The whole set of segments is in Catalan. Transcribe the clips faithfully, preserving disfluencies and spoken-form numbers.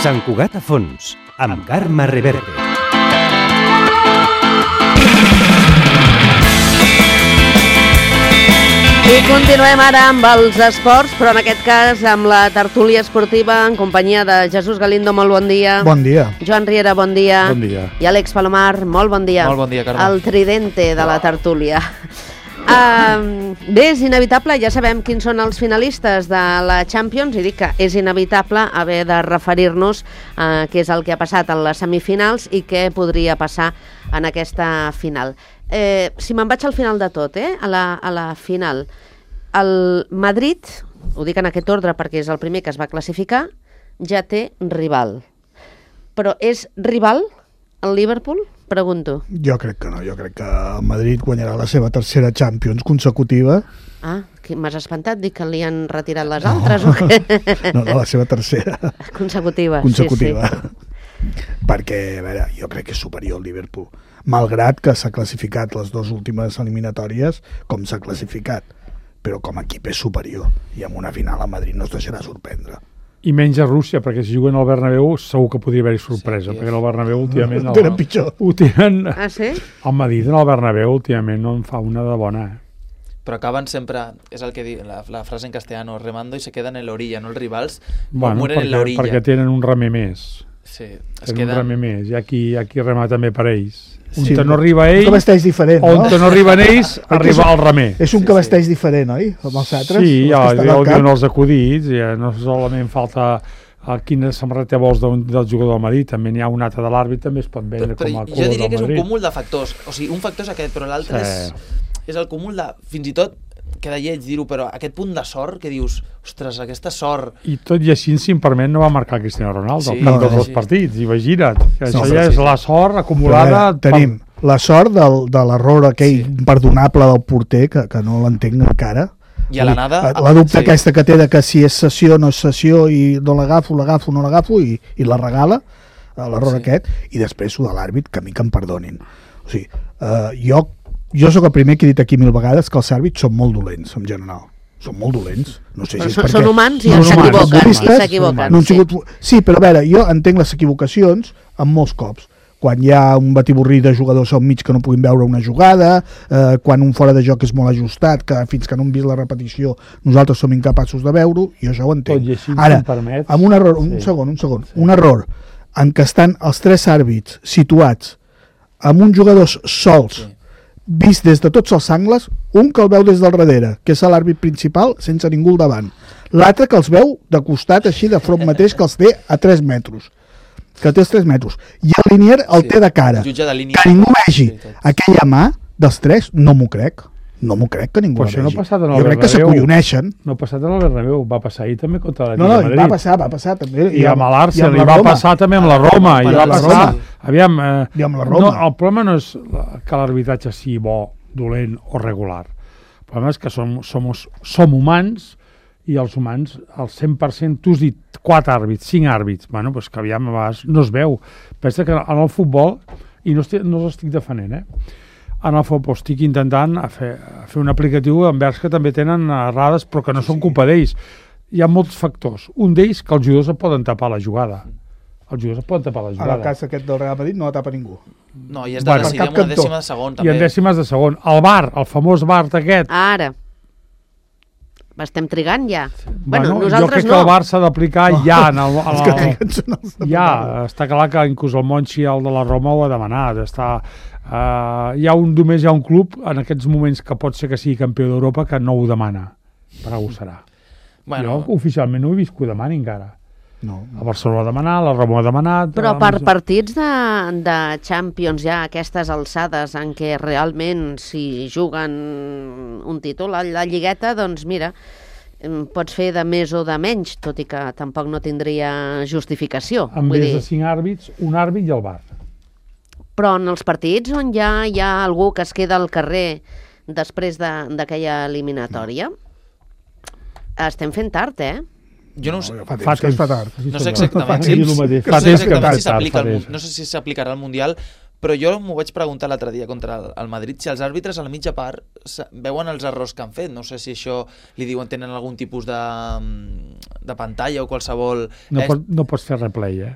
Sant Cugat a fons, amb Carme Reverte. I continuem ara amb els esports, però en aquest cas amb la tertúlia esportiva en companyia de Jesús Galindo, molt bon dia. Bon dia. Joan Riera, bon dia. Bon dia. I Àlex Palomar, molt bon dia. Molt bon dia, Carme. El tridente de la tertúlia. Uh, bé, és inevitable, ja sabem quins són els finalistes de la Champions, i dic que és inevitable haver de referir-nos a uh, què és el que ha passat en les semifinals i què podria passar en aquesta final. Eh, si me'n vaig al final de tot, eh? a, la, a la final, el Madrid, ho dic en aquest ordre perquè és el primer que es va classificar, ja té rival. Però és rival el Liverpool? Pregunto. Jo crec que no, jo crec que el Madrid guanyarà la seva tercera Champions consecutiva. Ah, m'has espantat, dic que li han retirat les altres, no. O què? No, no, la seva tercera. Consecutiva. Consecutiva. Sí, sí. Perquè, a veure, jo crec que és superior el Liverpool, malgrat que s'ha classificat les dues últimes eliminatòries com s'ha classificat, però com a equip és superior, i en una final a Madrid no es deixarà sorprendre. I menys a Rússia, perquè si juguen al Bernabéu segur que podria haver-hi sorpresa, sí, perquè el Bernabéu últimament... Ho tenen pitjor. Ho tenen... Ah, sí? El Madrid en el Bernabéu últimament no en fa una de bona. Però acaben sempre, és el que diu la, la frase en castellano, remando i se quedan en la orilla, no els rivals, bueno, mueren perquè, en la orilla. Perquè tenen un remer més. Sí, es tenen queden... un remer més, hi ha qui, hi ha qui rema també per ells. Un Sí, que no arriba ell, un cabesteix diferent, o no? un que no arriba ells, arriba al remer. És un Sí, cabesteix sí. diferent, oi? Amb els altres? Sí, ja, els que estan ja al ho camp. diuen els acudits, ja no solament falta a quina samarreta vols d'un, del jugador del Madrid, també n'hi ha un altre de l'àrbit, també es pot vendre Però, però com a jo color diria que del és un Madrid. cúmul de factors, o sigui, un factor és aquest, però l'altre Sí. és, és el cúmul de, fins i tot, queda lleig dir-ho, però aquest punt de sort que dius, ostres, aquesta sort... I tot i així, si em permet, no va marcar Cristiano Ronaldo Sí, al cap no, dels no, dos sí. partits, imagina't. Que això No, ja però és sí, la sort acumulada... Però, eh, tenim la sort del, de l'error aquell Sí. imperdonable del porter, que, que no l'entenc encara. I a l'anada... La dubte sí. aquesta que té de que si és sessió o no és sessió i no l'agafo, l'agafo, no l'agafo i, i la regala, l'error Sí. aquest, i després ho de l'àrbit, que a mi que em perdonin. O sigui, eh, jo, jo sóc el primer que he dit aquí mil vegades que els àrbits són molt dolents, en general. Són molt dolents. No sé si Però és són, perquè... són humans i Són humans, s'equivoquen. I futbolistes, s'equivoquen. no han Sí. sigut... Sí, però a veure, jo entenc les equivocacions en molts cops. Quan hi ha un batiburrí de jugadors al mig que no puguin veure una jugada, eh, quan un fora de joc és molt ajustat, que fins que no hem vist la repetició nosaltres som incapaços de veure-ho, i això ho entenc. Tot i així, Ara, si em permets... amb un error, un Sí. segon, un segon, un error en què estan els tres àrbits situats amb uns jugadors sols, Sí. vist des de tots els angles, un que el veu des del darrere, que és l'àrbit principal, sense ningú al davant. L'altre que els veu de costat, així de front mateix, que els té a tres metres. Que té els tres metres. I el linier el Sí. té de cara. El jutge de línia. Que ningú vegi Sí, tot. aquella mà dels tres, no m'ho crec. No m'ho crec que ningú Però la això no vegi. ha passat en el Jo crec que Bernabéu. s'acolloneixen. No ha passat en el Bernabéu, va passar ahir també contra la No, no, de Madrid. va passar, va passar també. I amb l'Arsenal, i i amb va la Roma. passar també amb la Roma, i I va amb la passar... Roma. Aviam, eh, I amb la no, Roma. el problema no és la- que l'arbitratge sigui bo, dolent o regular. El problema és que som, som, som humans i els humans, al cent per cent, tu has dit quatre àrbits, cinc àrbits, bueno, doncs que aviam, a vegades no es veu. Pensa que en el futbol, i no, estic, no els estic defendent, eh? En el futbol estic intentant a fer, a fer un aplicatiu envers que també tenen errades, però que no són culpa d'ells. Hi ha molts factors. Un d'ells que els jugadors et poden tapar la jugada. Els jugadors et poden tapar la En jugada. el cas aquest del Real Madrid no la tapa ningú. No, i és de Bueno, decidir per amb cap una cantó. dècima de segon, I també. en dècimes de segon. El V A R, el famós V A R aquest, Ara. Estem trigant ja. bueno, Bueno, jo nosaltres crec no. que el V A R s'ha d'aplicar ja en el, en Els que el, triguen són els de ja, Real. està clar que inclús el Monchi, el de la Roma, ho ha demanat. Està, uh, hi ha un, només hi ha un club en aquests moments que pot ser que sigui campió d'Europa que no ho demana. Per ho serà. Bueno, Jo oficialment no he vist que ho demani encara. No, El Barcelona ha demanat, la Roma ha demanat... Però el- per partits de, de Champions ja a aquestes alçades en què realment si juguen un títol a la lligueta, doncs mira, em, pots fer de més o de menys, tot i que tampoc no tindria justificació. Amb Vull més dir, de cinc àrbits, un àrbit i el V A R. però en els partits on ja hi ha algú que es queda al carrer després de- d'aquella eliminatòria, estem fent tard, eh? jo no ho sé, no, fa temps que es fa tard. no sé exactament Fa si, temps, el mateix. no Fa sé temps que exactament fa si s'aplica tard, al fa mun- temps. no sé si s'aplicarà al Mundial, però jo m'ho vaig preguntar l'altre dia contra el, el Madrid, si els àrbitres a la mitja part veuen els errors que han fet. No sé si això li diuen tenen algun tipus de, de pantalla o qualsevol... No, eh? pot, no pots fer replay, eh?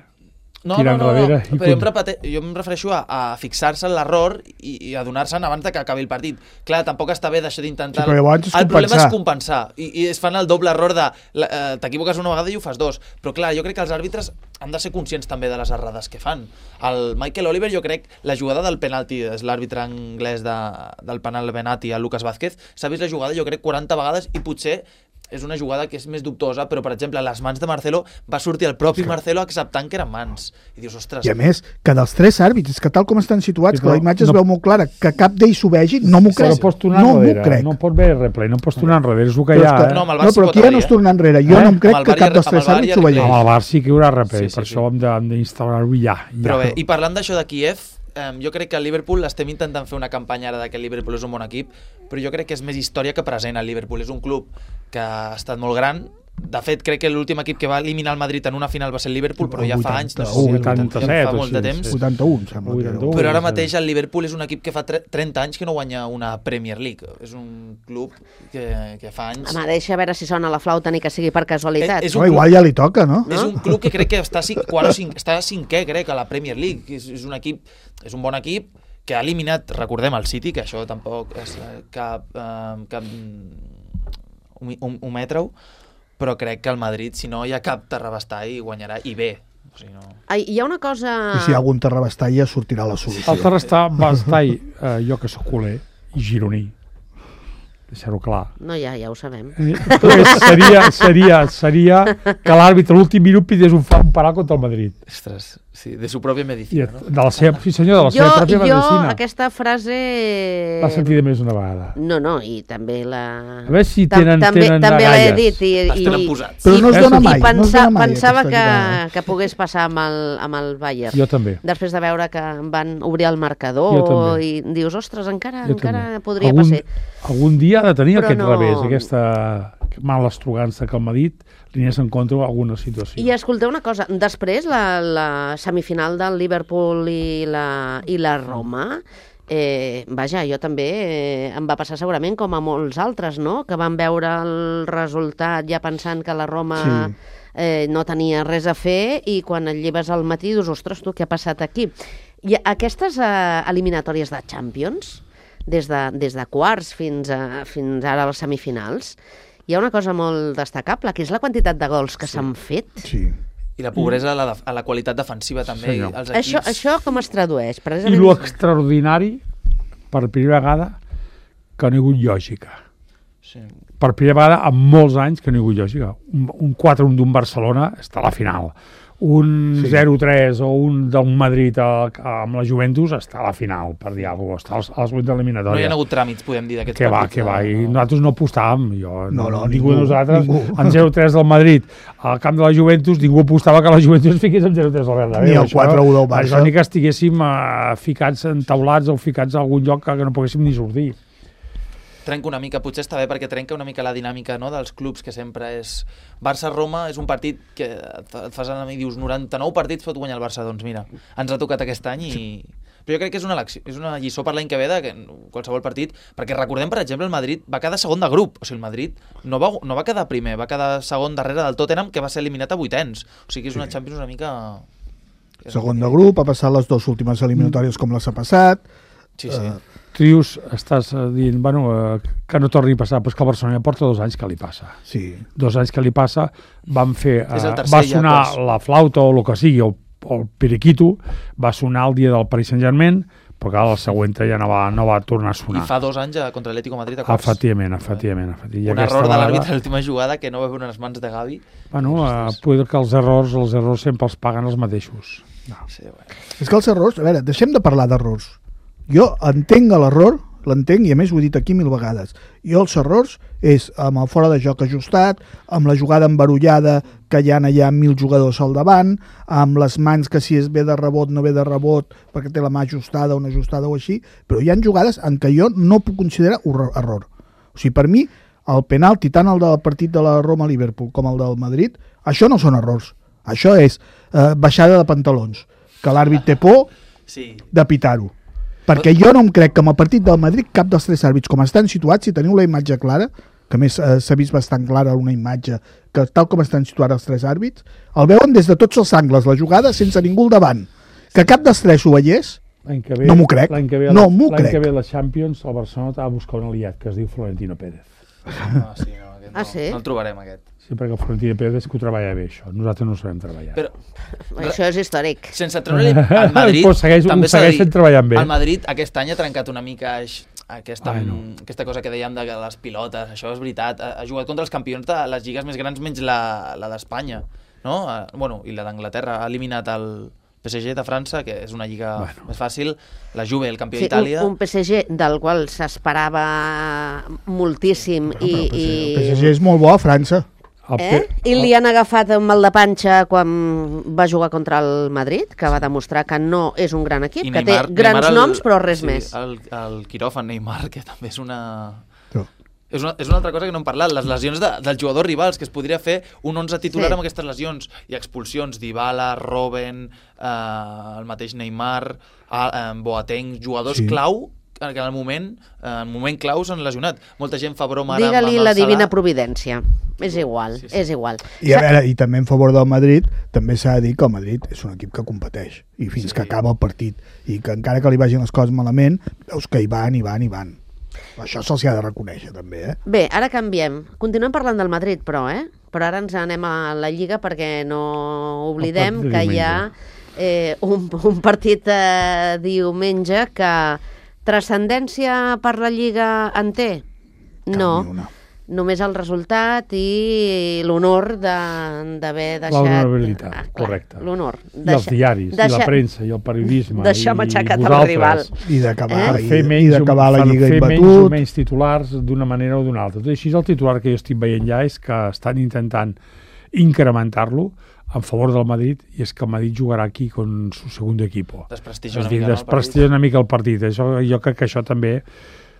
No, no, no, no, però jo em, repete, jo em refereixo a, a fixar-se en l'error i, i adonar-se'n abans de que acabi el partit. Clar, tampoc està bé d'això d'intentar... Sí, el, el problema és compensar, i, i es fan el doble error de eh, t'equivoques una vegada i ho fas dos. Però clar, jo crec que els àrbitres han de ser conscients també de les errades que fan. El Michael Oliver, jo crec, la jugada del penalti, és l'àrbitre anglès de, del penal penalti, el Lucas Vázquez, s'ha vist la jugada jo crec quaranta vegades i potser és una jugada que és més dubtosa, però, per exemple, les mans de Marcelo va sortir el propi sí. Marcelo acceptant que eren mans. I dius, ostres... I a més, que dels tres àrbits, que tal com estan situats, sí, que la imatge no, es veu molt clara, que cap d'ells s'ho vegi, no m'ho crec. No pots tornar no enrere, crec. no pots veure replay, no pots tornar enrere, és el que hi ha. Que, eh? no, no, però aquí ja no es torna enrere. Jo eh? no em crec que cap dels tres àrbits s'ho vegi. Amb el Bar sí que hi haurà replay, sí, sí, per sí. això hem d'instal·lar-ho ja, ja. Però bé, i parlant d'això de Kíev, Um, jo crec que el Liverpool estem intentant fer una campanya ara de que el Liverpool és un bon equip, però jo crec que és més història que present. El Liverpool és un club que ha estat molt gran. De fet, crec que l'últim equip que va eliminar el Madrid en una final va ser el Liverpool, però ja fa anys, no sé si vuitanta-set, fa molt de temps. vuitanta-un, sembla. vuitanta-un, però ara mateix el Liverpool és un equip que fa trenta anys que no guanya una Premier League. És un club que, que fa anys... Home, deixa a veure si sona la flauta ni que sigui per casualitat. És, és no, club, igual ja li toca, no? És un club que crec que està, quart o cinc, està cinquè, crec, a la Premier League. És, és un equip, és un bon equip que ha eliminat, recordem, el City, que això tampoc és cap... Eh, cap un, un, un metre-ho, però crec que el Madrid, si no hi ha cap terrabastall, guanyarà, i bé. O sigui, no... Ai, hi ha una cosa... I si hi ha algun terrabastall ja sortirà la solució. El terrabastall, eh, jo que sóc culer, i gironí, deixar-ho clar. No, ja, ja ho sabem. seria, seria, seria que l'àrbitre l'últim minut pidies un, un penal contra el Madrid. Ostres, sí, de su pròpia medicina, I, no? De la seva, sí senyor, de la jo, seva pròpia jo, medicina. Jo aquesta frase... L'ha sentit més una vegada. No, no, i també la... A veure si tenen, també, tenen també l'he agalles. dit. I, Les tenen posats. Però no es dona mai. I pensa, no es dona mai pensava que, jugada. que pogués passar amb el, amb el Bayern. Jo també. Després de veure que van obrir el marcador i dius, ostres, encara, encara podria algun, passar. Algun dia ha de tenir Però aquest no... revés, aquesta mala estrugança que el Madrid li anés en contra alguna situació. I escolteu una cosa, després la, la semifinal del Liverpool i la, i la Roma, eh, vaja, jo també eh, em va passar segurament com a molts altres, no? Que van veure el resultat ja pensant que la Roma sí. eh, no tenia res a fer i quan et lleves al matí dius, ostres, tu, què ha passat aquí? I aquestes eh, eliminatòries de Champions, des de, des de quarts fins, a, fins ara a les semifinals, hi ha una cosa molt destacable, que és la quantitat de gols que s'han sí. fet. Sí. I la pobresa a la, a la qualitat defensiva també. Sí, no. Els equips... Això, això com es tradueix? I lo extraordinari, per primera vegada, que no hi ha hagut lògica. Sí. Per primera vegada, en molts anys, que no hi ha hagut lògica. Un, un quatre un d'un Barcelona està a la final. Un sí. zero tres o un d'un Madrid a, a, amb la Juventus està a la final, per dir alguna cosa, està als, als vuit d'eliminatòria. No hi ha hagut tràmits, podem dir, d'aquests que partits. Que va, que va, i no. nosaltres no apostàvem, jo, no, no, ningú, ningú de nosaltres, ningú. en zero tres del Madrid, al camp de la Juventus, ningú apostava que la Juventus es fiqués en zero tres al Bernabéu. Ni el quatre u del Barça. Això ni que estiguéssim uh, ficats entaulats o ficats a algun lloc que, que no poguéssim ni sortir. Trenca una mica, potser està bé perquè trenca una mica la dinàmica, no?, dels clubs, que sempre és... Barça-Roma és un partit que et fas anar i dius noranta-nou partits pot guanyar el Barça, doncs mira, ens ha tocat aquest any i... Però jo crec que és una, elecció, és una lliçó per l'any que ve de que qualsevol partit, perquè recordem, per exemple, el Madrid va quedar segon de grup, o sigui, el Madrid no va, no va quedar primer, va quedar segon darrere del Tottenham, que va ser eliminat a vuitens, o sigui, és una sí. Champions una mica... Segon de grup, ha passat les dues últimes eliminatòries com les ha passat... Sí, sí. Uh, Tu dius, estàs dient, bueno, eh, que no torni a passar, però és que el Barcelona ja porta dos anys que li passa. Sí. Dos anys que li passa, van fer... Eh, tercer, va sonar ja, la flauta o el que sigui, o, o el periquito, va sonar el dia del Paris Saint-Germain, però clar, el següent ja no va, no va tornar a sonar. I fa dos anys contra l'Atlético Madrid a quarts. Efectivament, efectivament. efectivament. Un error de l'àrbitre a l'última jugada que no va veure unes mans de Gavi. Bueno, eh, poder que els errors, els errors sempre els paguen els mateixos. No. Sí, bueno. És que els errors... A veure, deixem de parlar d'errors. Jo entenc l'error, l'entenc, i a més ho he dit aquí mil vegades. Jo els errors és amb el fora de joc ajustat, amb la jugada embarullada que hi ha allà mil jugadors al davant, amb les mans que si es ve de rebot no ve de rebot perquè té la mà ajustada o no ajustada o així, però hi ha jugades en què jo no puc considerar error. O sigui, per mi, el penalti, tant el del partit de la Roma-Liverpool com el del Madrid, això no són errors. Això és eh, baixada de pantalons. Que l'àrbit té por, sí. de pitar-ho. Perquè jo no em crec que amb el partit del Madrid cap dels tres àrbits, com estan situats, si teniu la imatge clara, que a més eh, s'ha vist bastant clara una imatge, que tal com estan situats els tres àrbits, el veuen des de tots els angles, la jugada, sense ningú al davant. Que cap dels tres ho veiés, ve, no m'ho crec. L'any que ve, no m'ho crec. crec. que ve la Champions, el Barcelona ha de buscar un aliat que es diu Florentino Pérez. No, sí, no, aquest no, ah, sí? no el trobarem, aquest. Sí, perquè el Florentino Pérez és que ho treballa bé, això. Nosaltres no ho sabem treballar. Però, Això és històric. sense treure-li al Madrid, pues segueix, també s'ha de dir, segueixen treballant bé. el Madrid aquest any ha trencat una mica aquesta, Ai, no. aquesta cosa que dèiem de les pilotes, això és veritat, ha, ha jugat contra els campions de les lligues més grans menys la, la d'Espanya, no? Bueno, i la d'Anglaterra, ha eliminat el P S G de França, que és una lliga bueno. més fàcil, la Juve, el campió Sí, d'Itàlia... un, un P S G del qual s'esperava moltíssim Però, i, però, i... el P S G és molt bo a França. El Eh? I li han agafat un mal de panxa quan va jugar contra el Madrid, que va demostrar que no és un gran equip, I que Neymar- té grans Neymar el- noms però res sí, més. El, el quiròfan Neymar, que també és una... No. És una, és una altra cosa que no hem parlat, les lesions de, dels jugadors rivals, que es podria fer un onze titular Sí. amb aquestes lesions, i expulsions Dybala, Robben, eh, el mateix Neymar, eh, Boateng, jugadors Sí. clau, que en el moment, eh, en el moment clau s'han lesionat. Molta gent fa broma ara Digue-li amb el la divina Salah. providència. És igual, Sí, sí. és igual. I, a veure, I també en favor del Madrid, també s'ha de dir que el Madrid és un equip que competeix, i fins Sí. que acaba el partit, i que encara que li vagin les coses malament, veus que hi van, hi van, hi van. Això se'ls ha de reconèixer, també, eh? Bé, ara canviem. Continuem parlant del Madrid, però, eh? Però ara ens anem a la Lliga perquè no oblidem El partit de que hi ha eh, un, un partit eh, diumenge que transcendència per la Lliga en té? No. Cap ni una. Només el resultat i l'honor de- d'haver deixat... L'honorabilitat, Ah, clar, correcte. L'honor. I els diaris, i la premsa, i el periodisme, deixar i, matxacat i el vosaltres, rival. I d'acabar Eh? per i, fer i menys, d'acabar la per Lliga fer menys o imbatut. menys titulars d'una manera o d'una altra. Tot i així, el titular que jo estic veient ja és que estan intentant incrementar-lo en favor del Madrid, i és que el Madrid jugarà aquí con su segundo equipo. Desprestigia És una a dir, mica, no, el desprestigia una mica el partit. Això, jo crec que això també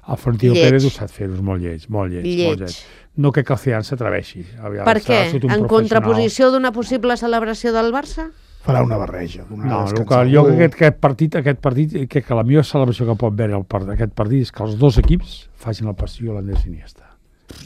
el Florentino Lleig. Pérez ho sap fer, és molt lleig, molt lleig, Lleig. molt lleig. No crec que el Zidane s'atreveixi. Aviam, Per serà què? tot un En professional. contraposició d'una possible celebració del Barça? Farà una barreja. Una No, el descansar que, jo algú. crec que aquest partit, aquest partit, crec que la millor celebració que pot veure el part aquest partit és que els dos equips facin el passillo a l'Andrés Iniesta.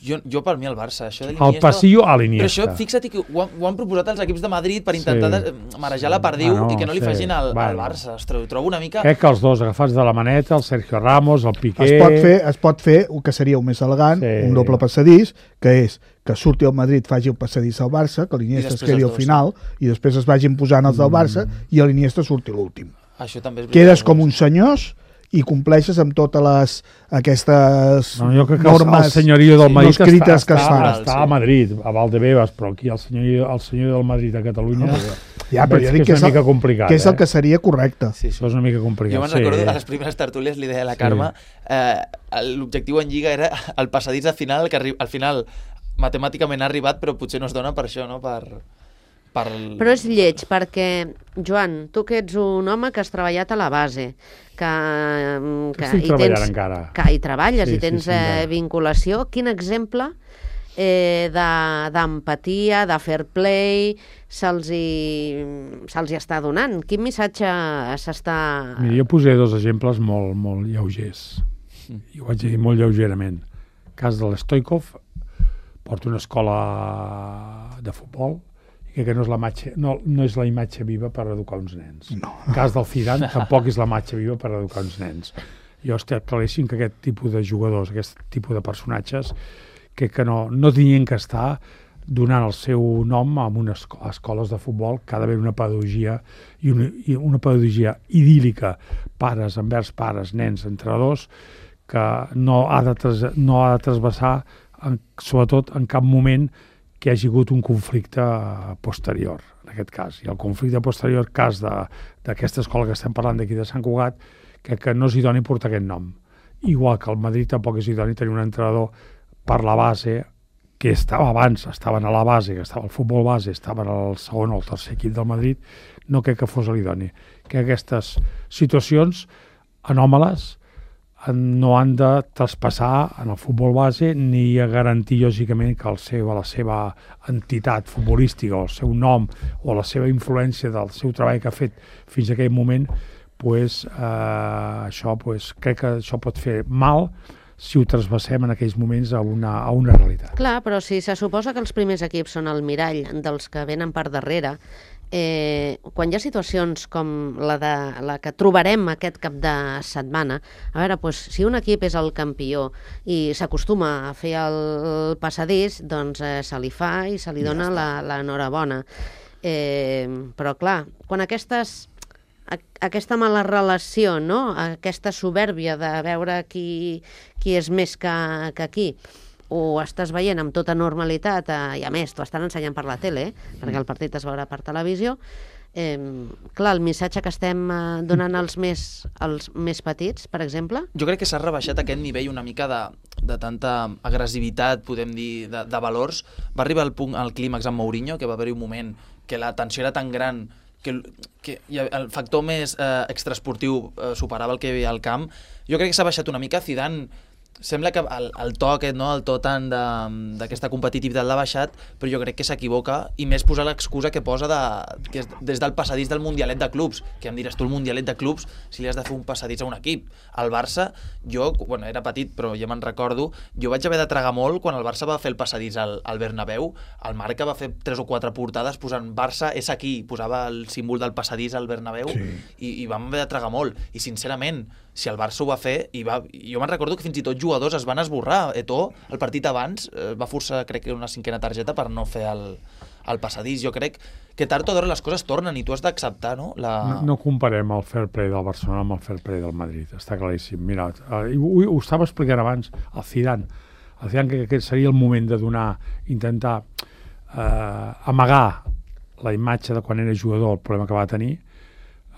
Jo, jo per mi el Barça, això de El l'Iniesta... passillo a Però l'Iniesta. això, fixa't que ho han, ho han proposat els equips de Madrid per intentar Sí. sí. marejar la perdiu Bueno, i que no li sí. facin al, al Bueno. Barça. Ostres, ho trobo una mica... Crec que els dos agafats de la maneta, el Sergio Ramos, el Piqué... Es pot fer, es pot fer el que seria el més elegant, Sí. un doble passadís, que és que surti el Madrid, faci el passadís al Barça, que l'Iniesta es després quedi els al dos, final, i després es vagin posant els del Barça, i l'Iniesta surti l'últim. Això també és veritat. Quedes com uns senyors i compleixes amb totes les aquestes No, jo crec que normes el senyorio del no Madrid està, escrites que està, es fan. està a Madrid, a Valdebebas, però aquí el senyorio, el senyorio del Madrid a Catalunya No, Ja, però veig jo que dic és que és, una el, mica complicat. que és el eh? que seria correcte. Sí, sí. Això és una mica complicat. Jo me'n sí. recordo a les primeres tertúlies li deia a la Carme eh, l'objectiu en Lliga era el passadís al final, que arri- al final matemàticament ha arribat, però potser no es dona per això, no? Per, per el... Però és lleig, perquè, Joan, tu que ets un home que has treballat a la base, que, que Estic hi treballant tens, encara. que hi treballes Sí, i tens sí, sí, eh, encara. vinculació, quin exemple eh, de- d'empatia, de fair play se'ls hi, se'ls hi està donant? Quin missatge s'està... Mira, jo posaré dos exemples molt, molt lleugers. I ho vaig dir molt lleugerament. El cas de l'Stoikov, porta una escola de futbol, i crec que no és, la imatge, no, no és la imatge viva per educar uns nens. No. El cas del Zidane tampoc és la imatge viva per educar uns nens. Jo estic claríssim que aquest tipus de jugadors, aquest tipus de personatges, crec que no, no tenien que estar donant el seu nom a unes esco- a escoles de futbol, que ha d'haver una pedagogia i una, i una pedagogia idíl·lica, pares envers pares, nens, entrenadors, que no ha de, tras, no ha de trasbassar, en, sobretot en cap moment que hi hagi hagut un conflicte posterior, en aquest cas. I el conflicte posterior, cas de- d'aquesta escola que estem parlant d'aquí de Sant Cugat, que, que no és idoni portar aquest nom. Igual que el Madrid tampoc és idoni tenir un entrenador per la base, que estava abans, estaven a la base, que estava al futbol base, estaven al segon o al tercer equip del Madrid, no crec que fos l'idoni. Que aquestes situacions anòmales no han de traspassar en el futbol base ni a garantir, lògicament, que el seu, la seva entitat futbolística o el seu nom o la seva influència del seu treball que ha fet fins a aquell moment pues, eh, això, pues, crec que això pot fer mal si ho trasbassem en aquells moments a una, a una realitat. Clar, però si se suposa que els primers equips són el mirall dels que venen per darrere, eh, quan hi ha situacions com la, de, la que trobarem aquest cap de setmana, a veure, doncs, si un equip és el campió i s'acostuma a fer el passadís, doncs eh, se li fa i se li dona ja l'enhorabona. Eh, però clar, quan aquestes... aquesta mala relació, no? Aquesta soberbia de veure qui, qui és més que, que qui, ho estàs veient amb tota normalitat, eh, i a més t'ho estan ensenyant per la tele, eh, perquè el partit es veurà per televisió, eh, clar, el missatge que estem eh, donant als més, als més petits, per exemple... Jo crec que s'ha rebaixat aquest nivell una mica de, de tanta agressivitat, podem dir, de, de valors. Va arribar al punt, al clímax amb Mourinho, que va haver-hi un moment que la tensió era tan gran que, que el factor més eh, extraesportiu eh, superava el que hi havia al camp. Jo crec que s'ha baixat una mica. Zidane, sembla que el, el to aquest, no? El to tant d'aquesta competitivitat l'ha baixat, però jo crec que s'equivoca, i més posar l'excusa que posa de, que és des del passadís del Mundialet de clubs, que em diràs tu, el Mundialet de clubs, si li has de fer un passadís a un equip. El Barça, jo, bueno, era petit, però ja me'n recordo, jo vaig haver de tragar molt quan el Barça va fer el passadís al, al Bernabéu. El Marca va fer tres o quatre portades posant Barça és aquí, posava el símbol del passadís al Bernabéu, sí. i, i vam haver de tragar molt. I sincerament, si el Barça ho va fer, i va, jo me'n recordo que fins i tot jugadors es van esborrar. Eto'o, el partit abans, eh, va forçar, crec que una cinquena targeta per no fer el, el passadís. Jo crec que tard o d'hora les coses tornen i tu has d'acceptar, no? La... No, no comparem el fair play del Barcelona amb el fair play del Madrid, està claríssim. Mira, eh, ho, ho estava explicant abans, el Zidane. El Zidane que, que seria el moment de donar, intentar eh, amagar la imatge de quan era jugador, el problema que va tenir,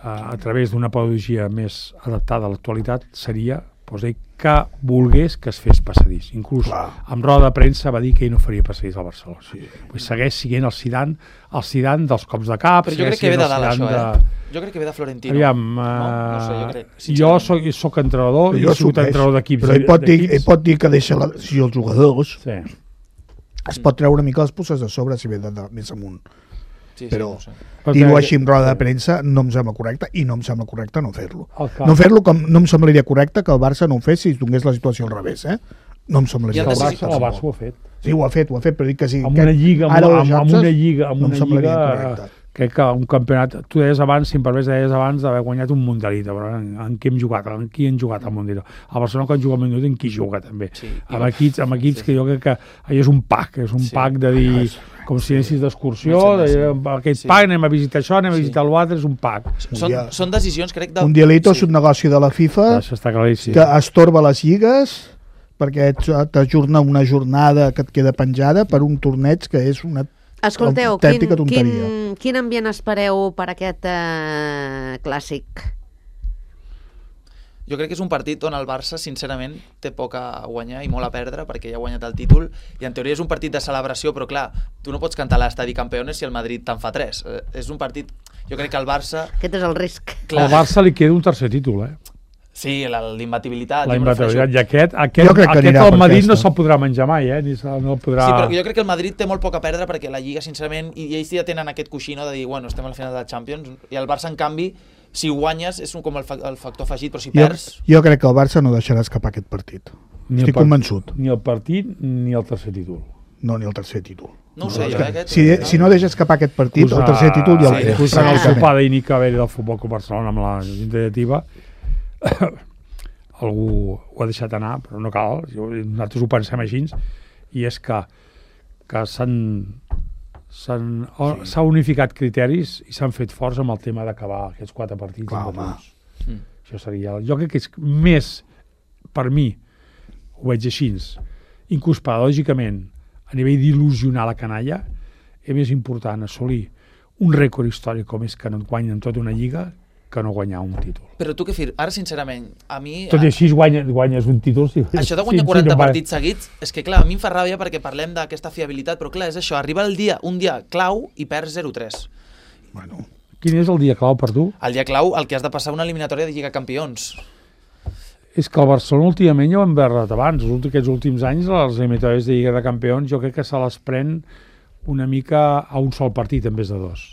a través d'una pedagogia més adaptada a l'actualitat, seria doncs, que volgués que es fes passadís. Inclús Clar. Amb roda de premsa va dir que ell no faria passadís al Barcelona. Sí. Pues segueix siguent el Zidane, el Zidane dels cops de cap. Però jo crec que ve de dalt això, eh? De... Jo crec que ve de Florentino. Aviam, uh... no? No sé, jo crec. Jo soc, soc entrenador, i he sigut entrenador d'equips. Però ell pot, dir, ell pot dir que deixa la, si els jugadors sí. es pot treure una mica les puces de sobre si ve de, de, més amunt. Sí, però sí, no sé. dir-ho així en roda de premsa no em sembla correcte, i no em sembla correcte no fer-lo. No fer-lo com no em semblaria correcte que el Barça no ho fes si es donés la situació al revés, eh? No em semblaria el Barça, el Barça ho ha fet. Sí, ho ha fet, ho ha fet, però dic que sí. Amb una lliga, amb, amb, amb una lliga, amb una lliga, crec que un campionat, tu deies abans, si em permets, deies abans d'haver guanyat un Mundialito, però en, en què hem jugat? En qui hem jugat al Mundialito? A Barcelona quan juga al Mundialito, en qui juga també? Sí, amb equips, amb equips sí. que jo crec que allò és un pack, és un sí. pack de dir, com si anessis d'excursió, aquest sí. pack, anem a visitar això, anem a visitar sí. l'altre, és un pack. Són, són decisions, crec, de... Mundialito sí. és un negoci de la FIFA, això està claríssim. Que estorba les lligues, perquè t'ajorna una jornada que et queda penjada per un torneig que és una Escolteu, quin, quin, quin ambient espereu per aquest eh, clàssic? Jo crec que és un partit on el Barça, sincerament, té poc a guanyar i molt a perdre, perquè ja ha guanyat el títol, i en teoria és un partit de celebració, però clar, tu no pots cantar a l'estadi Campeones si el Madrid te'n fa tres. Eh, és un partit... Jo crec que el Barça... Aquest és el risc. Clar. Al Barça li queda un tercer títol, eh? Sí, l'imbatibilitat. La imbatibilitat. I aquest, aquest, aquest el Madrid no se'l podrà menjar mai, eh? Ni no el podrà... Sí, però jo crec que el Madrid té molt poc a perdre perquè la Lliga, sincerament, i ells ja tenen aquest coixí, no?, de dir, bueno, estem a la final de la Champions, i el Barça, en canvi, si guanyes, és un, com el, fa, el factor afegit, però si jo, perds... Jo crec que el Barça no deixarà escapar aquest partit. Ni Estic convençut. Ni el partit ni el tercer títol. No, ni el tercer títol. No ho sé, jo, aquest... Si, si no deixa escapar aquest partit, Usa, el tercer títol ja el té. Sí, el sopar d'Inica Veri del Futbol Club Barcelona amb la Junta Directiva algú ho ha deixat anar, però no cal, nosaltres ho pensem així, i és que, que s'han s'han sí. unificat criteris i s'han fet forts amb el tema d'acabar aquests quatre partits. Clar, home. Mm. Això seria... Jo crec que és més, per mi, ho veig així, inclús pedagògicament, a nivell d'il·lusionar la canalla, és més important assolir un rècord històric com és que no et guanyen tota una lliga que no guanyar un títol. Però tu què fir? Ara, sincerament, a mi... Tot i així guanyes, guanyes un títol... Si... Això de guanyar sí, quaranta sí, no partits seguits, és que, clar, a mi em fa ràbia perquè parlem d'aquesta fiabilitat, però, clar, és això, arriba el dia, un dia clau i perds zero tres. Bueno. Quin és el dia clau per tu? El dia clau, el que has de passar una eliminatòria de Lliga Campions. És que el Barcelona últimament ja ho hem veure abans, els aquests últims anys, les eliminatòries de Lliga de Campions, jo crec que se les pren una mica a un sol partit en vez de dos.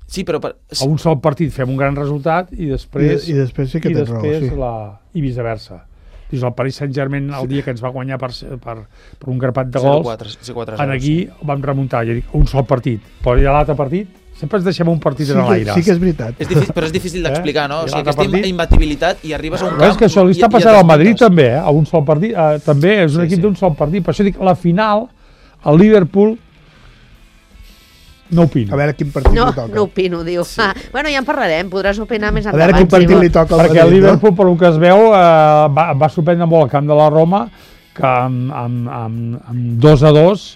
Sí, però... Per... A un sol partit fem un gran resultat i després... I, i després sí que i tens raó, després sí. la, i viceversa. Dius, el Paris Saint-Germain el dia que ens va guanyar per, per, per un grapat de gols, en aquí vam remuntar, ja dic, un sol partit. Però ja l'altre partit, sempre ens deixem un partit sí en que, l'aire. sí que és veritat. És difícil, però és difícil d'explicar, no? O sigui, aquesta partit... imbatibilitat i arribes a un camp... És que això li està passant al Madrid també, eh? A un sol partit. Eh, també és un sí, equip sí. d'un sol partit. Per això dic, la final, el Liverpool... No opino. A veure quin partit no, li toca. No opino, diu. Sí. Ah, bueno, ja en parlarem, podràs opinar més endavant. A veure quin partit si li toca al Perquè Madrid, el Liverpool, no? per un que es veu, eh, va, va sorprendre molt el camp de la Roma, que amb, amb, amb, amb dos a dos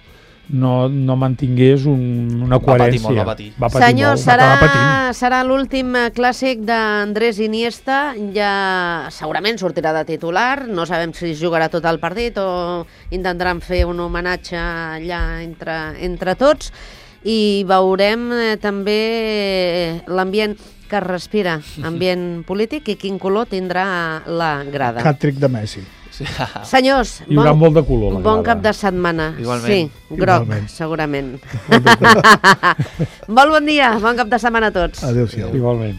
no, no mantingués un, una coherència. Va patir molt, va patir. Va patir Senyor, molt, serà, serà l'últim clàssic d'Andrés Iniesta, ja segurament sortirà de titular, no sabem si jugarà tot el partit o intentaran fer un homenatge allà entre, entre tots, i veurem eh, també l'ambient que es respira, ambient polític, i quin color tindrà la grada. Hat-trick de Messi. Sí. Senyors, Hi haurà molt de color, la bon grada. cap de setmana. Igualment. Sí, groc, Igualment. segurament. Molt bon dia, bon cap de setmana a tots. Adéu-siau. Igualment.